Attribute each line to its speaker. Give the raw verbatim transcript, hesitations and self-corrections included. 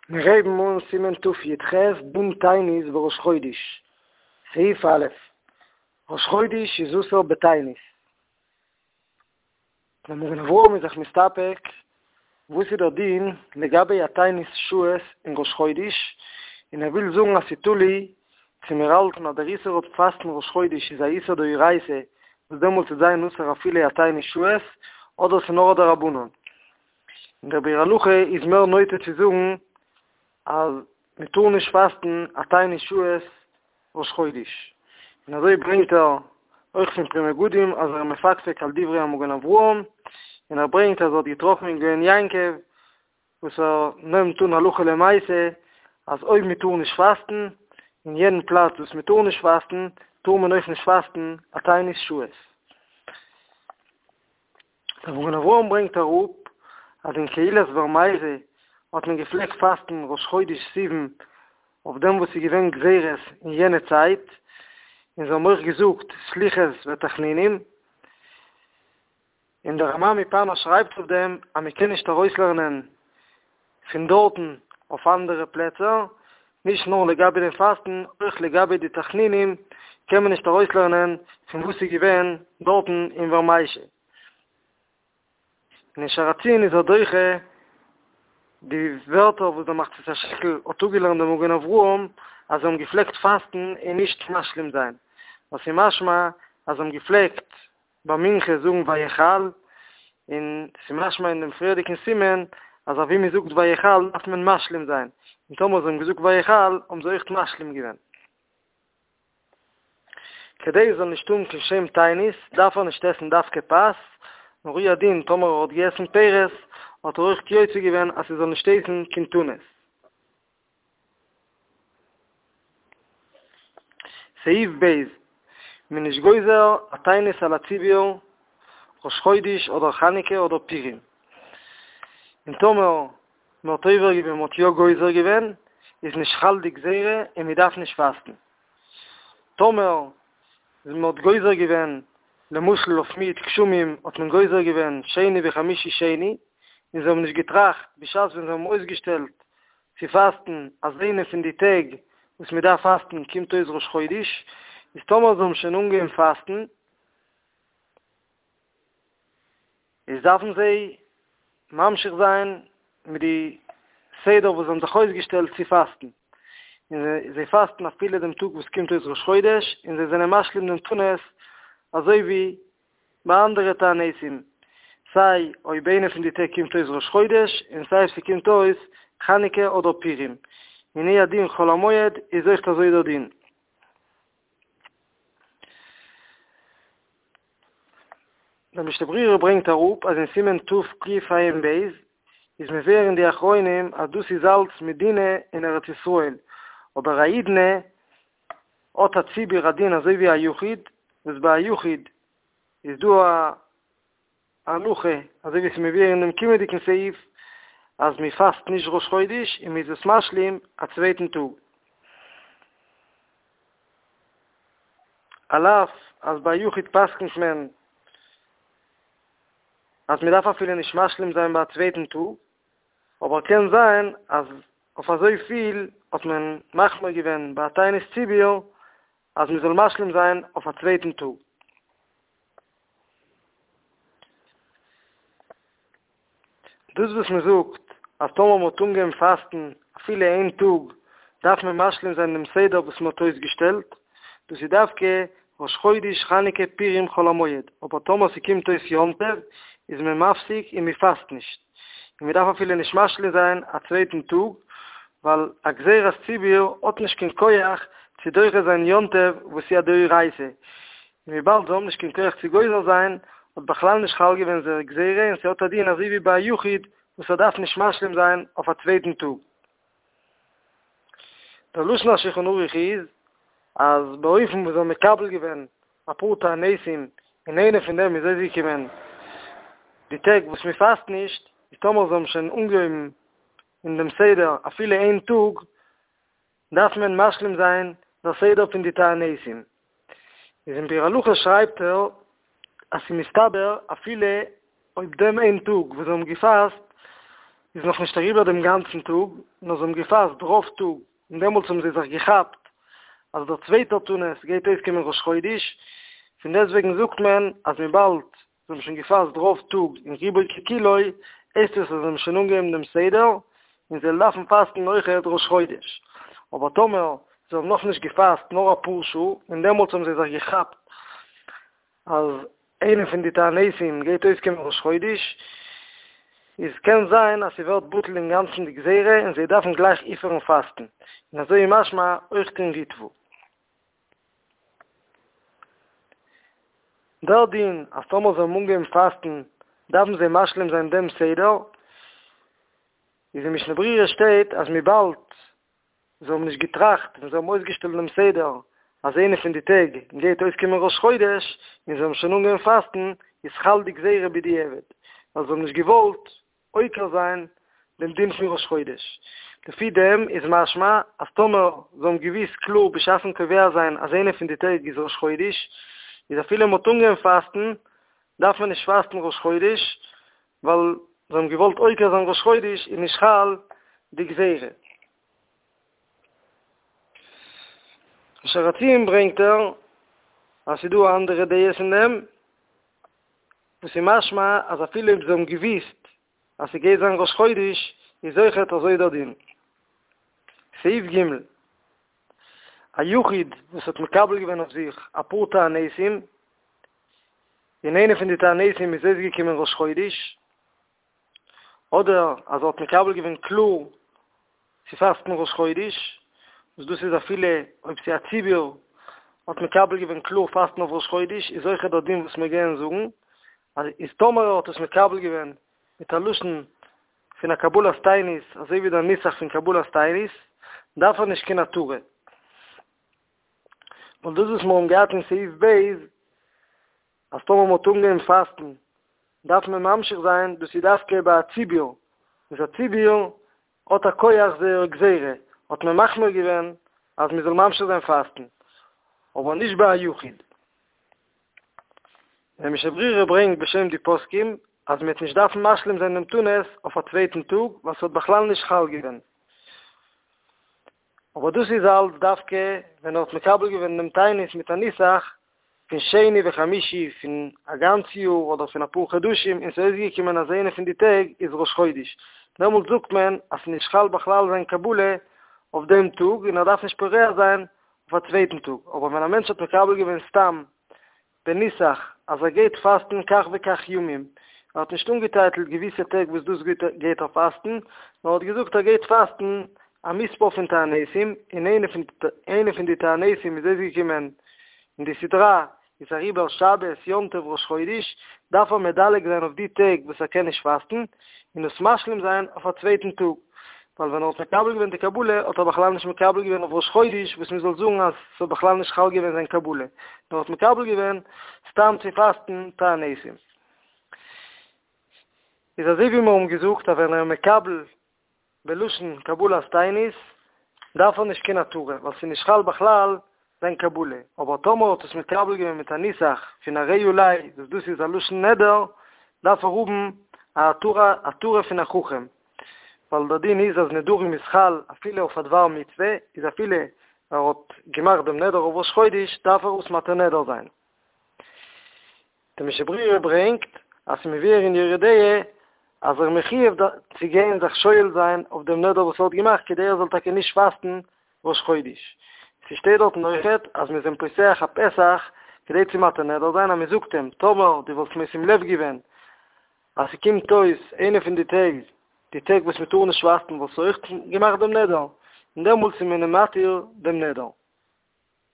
Speaker 1: מיר הייבן אן סימן תי"ח, דין תענית בראש חודש, סעיף א', ראש חודש איז אסור בתענית. דער מגן אברהם איז זיך מסתפק וואס איז דער דין לגבי א תענית שעות אין ראש חודש, און ער וויל זאגן אז ס'תלוי צו מיר האלטן אז דער איסור אויף פאסטן ראש חודש איז א איסור דאורייתא וואס דעמאלטס וועט זיין אסור אפילו א תענית שעות, אדער ס'איז נאר א דרבנן. און דער ביאור הלכה איז מער נוטה צו זאגן אז מען טאר נישט פאסטן א תענית שעות ראש חודש, און אזוי ברענגט ער אויך פון פרי מגדים אז ער איז מפקפק על דברי המגן אברהם, און ער ברענגט אז ער האט געטראפן אין גאון יעקב וואס ער נעמט אן הלכה למעשה אז אויב מען טאר נישט פאסטן אין יענעם פלאץ וואס מען טאר נישט פאסטן טאר מען אויך נישט פאסטן א תענית שעות. דער מגן אברהם ברענגט אראפ אז אין קהילת ווארמייזע האט מען געפלעגט פאסטן ראש חודש סיוון אויף דעם וואס איז געווען גזירות אין יענע צייט, און זיי האבן אויך געזאגט סליחות ותחנונים, און דער רמ"ע מפאנו שרייבט אויף דעם אז מען קען נישט ארויסלערנען פון דארטן אויף אנדערע פלעצער, נישט נאר לגבי דעם פאסטן, אויך לגבי די תחנונים קען מען נישט ארויסלערנען פון וואס איז געווען דארטן אין ווארמייזע. און אין שער הציון איז ער דוחה די ווערטער וואס דער מחצית השקל האט אפגעלערנט דעם מגן אברהם אז זיי האבן געפלעגט פאסטן און נישט משלים זיין, וואס איז משמע אז זיי האבן געפלעגט ביי מנחה זאגן ויחל, און ס'איז משמע אין דעם פריערדיגן סימן אז אוואו מ'זאגט ויחל דארף מען משלים זיין, און טאמער זיי האבן געזאגט ויחל האבן זיי אויך משלים געווען. כדי עס זאל נישט האבן קיין שם תענית דארף ער נישט עסן דווקא פת, נאר הוא הדין טאמער ער האט געעסן פירות האט ער אויך יוצא געווען אז ס'זאל נישט הייסן קיין תענית. סעיף ב', מען איז נישט גוזר א תענית על הציבור ראש חודש אדער חנוכה אדער פורים, און טאמער מען האט עובר געווען מען האט יא גוזר געווען איז נישט חל די גזירה און מען דארף נישט פאסטן. טאמער מען האט גוזר געווען למשל אויף מיעוט גשמים האט מען גוזר געווען שני וחמישי שני און זיי האבן נישט געטראכט בשעת ווען זיי האבן אויסגעשטעלט צו פאסטן אז איינע פון די טעג וואס מען דארף פאסטן קומט אויס ראש חודש איז טאמער זיי האבן שוין אנגעהויבן פאסטן איז דארפן זיי ממשיך זיין מיט די סדר וואס זיי האבן זיך אויסגעשטעלט צו פאסטן, און זיי פאסטן אפילו דעם טאג וואס קומט אויס ראש חודש, און זיי זענען משלים דעם תענית אזוי ווי ביי אנדערע תעניתים, סיי אויב איינע פון די טעג קומט אויס ראש חודש, און סיי אויב ס'קומט אויס חנוכה אדער פורים, און הוא הדין חול המועד איז אויכט אזוי דער דין. דער משנה ברורה ברענגט אראפ אז אין סימן תקע"ב איז מבואר אין די אחרונים אז דאס איז אלץ מדינה אין ארץ ישראל, אבער א אידנע האט א ציבור א דין אזוי ווי א יחיד, וואס ביי א יחיד איז דא א הלכה אזוי ווי עס איז מבואר אין דעם קומענדיגן סעיף אז מען פאסט נישט ראש חודש און מען איז עס משלים א צווייטן טאג. על אף אז ביי יחיד פסק'נט מען אז מען דארף אפילו נישט משלים זיין ביי א צווייטן טאג, אבער קען זיין אז אויף אזויפיל האט מען מחמיר געווען ביי א תענית ציבור אז מען זאל משלים זיין אויף א צווייטן טאג. דאס וואס מען זאגט אז טאמער מען האט אנגעהויבן פאסטן אפילו איין טאג דארף מען משלים זיין דעם סדר וואס מען האט אויסגעשטעלט, דאס איז דווקא ראש חודש חנוכה פורים חול המועד, אבער טאמער ס'קומט אויס יום טוב איז מען מפסיק און מען פאסט נישט, און מען דארף אפילו נישט משלים זיין א צווייטן טאג, ווייל א גזירת ציבור האט נישט קיין כח צו דוחה זיין יום טוב וואס איז א דאורייתא, און וויבאלד זיי האבן נישט קיין כח צו גוזר זיין, האט בכלל נישט חל געווען זייער גזירה און ס'האט א דין אזוי ווי ביי א יחיד וואס ער דארף נישט משלים זיין אויף א צווייטן טאג. דער לשון השולחן ערוך איז אז באופן וואס זיי האבן מקבל געווען אפאר תעניתים און איינע פון דעם איז אויסגעקומען די טעג וואס מען פאסט נישט, איז טאמער זיי האבן שוין אנגעהויבן אין דעם סדר אפילו איין טאג, דארף מען משלים זיין דער סדר פון די תעניתים. איז אין ביאור הלכה שרייבט ער אז ס'איז מסתבר אפילו אויב דעם איין טאג וואס זיי האבן געפאסט איז נאך נישט אריבער דעם גאנצן טאג, נאר זיי האבן געפאסט רוב טאג, און דעמאלטס האבן זיי זיך געכאפט אז דער צווייטער תענית גייט אויסקומען ראש חודש, פון דעסטוועגן זאגט מען אז וויבאלד זיי האבן שוין געפאסט רוב טאג און רובו ככולו, הייסט עס אז זיי האבן שוין אנגעהויבן דעם סדר, און זיי דארפן פאסטן אויכעט ראש חודש. אבער טאמער זיי האבן נאכנישט געפאסט נאר אפאר שעה, און דעמאלטס האבן זיי זיך געכאפט אז איינע פון די תעניתים גייט אויסקומען ראש חודש, איז קען זיין אז ס'ווערט בטל אינגאנצן די גזירה און זיי דארפן גלייך אויפהערן פאסטן, און אזוי איז משמע אויך אין ריטב"א. דער דין אז טאמער זיי האבן אנגעהויבן פאסטן דארפן זיי משלים זיין דעם סדר, איז אין משנה ברורה שטייט אז וויבאלד זיי האבן נישט געטראכט ווען זיי האבן אויסגעשטעלט דעם סדר אז איינע פון די טעג גייט אויסקומען ראש חודש און זיי האבן שוין אנגעהויבן פאסטן, איז חל די גזירה בדיעבד, ווייל זיי האבן נישט געוואלט עוקר זיין דעם דין פון ראש חודש. לפי דעם איז משמע אז טאמער זיי האבן געוואוסט קלאר בשעת'ן קובע זיין אז איינע פון די טעג איז ראש חודש, איז אפילו מ'האט אנגעהויבן פאסטן דארף מען נישט פאסטן ראש חודש, ווייל זיי האבן געוואלט עוקר זיין ראש חודש איז נישט חל די גזירה. שער הציון ברענגט ער אז ס'איז דא אנדערע דעות אין דעם, וואס איז משמע אז אפילו אויב זיי האבן געוואוסט אז ס'גייט זיין ראש חודש איז אויכעט אזוי דער דין. סעיף ג' א יחיד וואס האט מקבל געווען אויף זיך אפאר תעניתים, און איינע פון די תעניתים איז אויסגעקומען ראש חודש, אדער אז ער האט מקבל געווען קלאר צו פאסטן ראש חודש, וואס דאס איז אפילו אויב ס'איז א ציבור האט מקבל געווען קלאר פאסטן אויף ראש חודש, איז אויכעט דער דין וואס מיר גייען זאגן, אז איז טאמער ער האט עס מקבל געווען מיט א לשון פון א קבלת תענית, אזוי ווי דער נוסח פון קבלת תענית, דארף ער נישט קיין התרה. ווייל דאס וואס מיר האבן געהאט אין סעיף ב', אז טאמער מ'האט אנגעהויבן פאסטן דארף מען ממשיך זיין, דאס איז דווקא ביי א ציבור, וואס א ציבור האט א כח זייער גזירה, האט מען מחמיר געווען אז מען זאל ממשיך זיין פאסטן, אבער נישט ביי א יחיד. דער משנה ברורה ברענגט בשם די פוסקים אז מען וועט נישט דארפן משלים זיין דעם תענית אויף א צווייטן טאג ווייל ס'האט בכלל נישט חל געווען. אבער דאס איז אלץ דווקא ווען ער האט מקבל געווען דעם תענית מיט א נוסח פון שני וחמישי פון א גאנץ יאר אדער פון אפאר חדשים און ס'איז אויסגעקומען אז איינע פון די טעג איז ראש חודש, דעמאלט זאגט מען אז ס'איז נישט חל בכלל זיין קבלה אויף דעם טאג און ער דארף נישט פורע זיין אויף א צווייטן טאג, אבער ווען א מענטש האט מקבל געווען סתם בנוסח אז ער גייט פאסטן כך וכך ימים, ער האט נישט אנגעטייטלט געוויסע טעג וואס דאס גייט ער פאסטן, נאר ער האט געזאגט ער גייט פאסטן א מספר פון תעניתים, און איינע פון איינע פון די תעניתים איז אויסגעקומען אין די סדרה איז אריבער שבת יום טוב ראש חודש, דארף ער מדלג זיין אויף די טעג וואס ער קען נישט פאסטן, און עס משלים זיין אויף א צווייטן טאג, ווייל ווען ער האט מקבל געווען די קבלה האט ער בכלל נישט מקבל געווען אויף ראש חודש וואס מען זאל זאגן אז ס'האט בכלל נישט חל געווען זיין קבלה, נאר האט מקבל געווען סתם צו פאסטן תעניתים. איז אזוי ווי מיר האבן געזאגט אז ווען ער איז מקבל בלשון קבלת תענית דארף ער נישט קיין התרה ווייל ס'איז נישט חל בכלל זיין קבלה, אבער טאמער האט עס מקבל געווען מיט א נוסח פון הרי עלי וואס דאס איז א לשון נדר דארף ער האבן א התרה התרה פון א חכם, ווייל דער דין איז אז נדרים איז חל אפילו אויף א דבר מצוה, איז אפילו ער האט געמאכט דעם נדר אויף ראש חודש דארף ער עס מתיר נדר זיין. דער משנה ברורה ברענגט אז ס'איז מבואר אין יורה דעה אז ער איז מחויב צו גיין זיך שואל זיין אויף דעם נדר וואס ער האט געמאכט כדי ער זאל טאקע נישט פאסטן ראש חודש. ס'שטייט דארטן אויכעט אז מ'איז אים פותח א פתח כדי צו מתיר נדר זיין אז מ'זאגט אים טאמער דו וואלסט משים לב געווען אז ס'קומט אויס איינע פון די טעג די טעג וואס מ'טאר נישט פאסטן וואלסטו אויך געמאכט דעם נדר און דעמאלטס איז מען אים מתיר דעם נדר.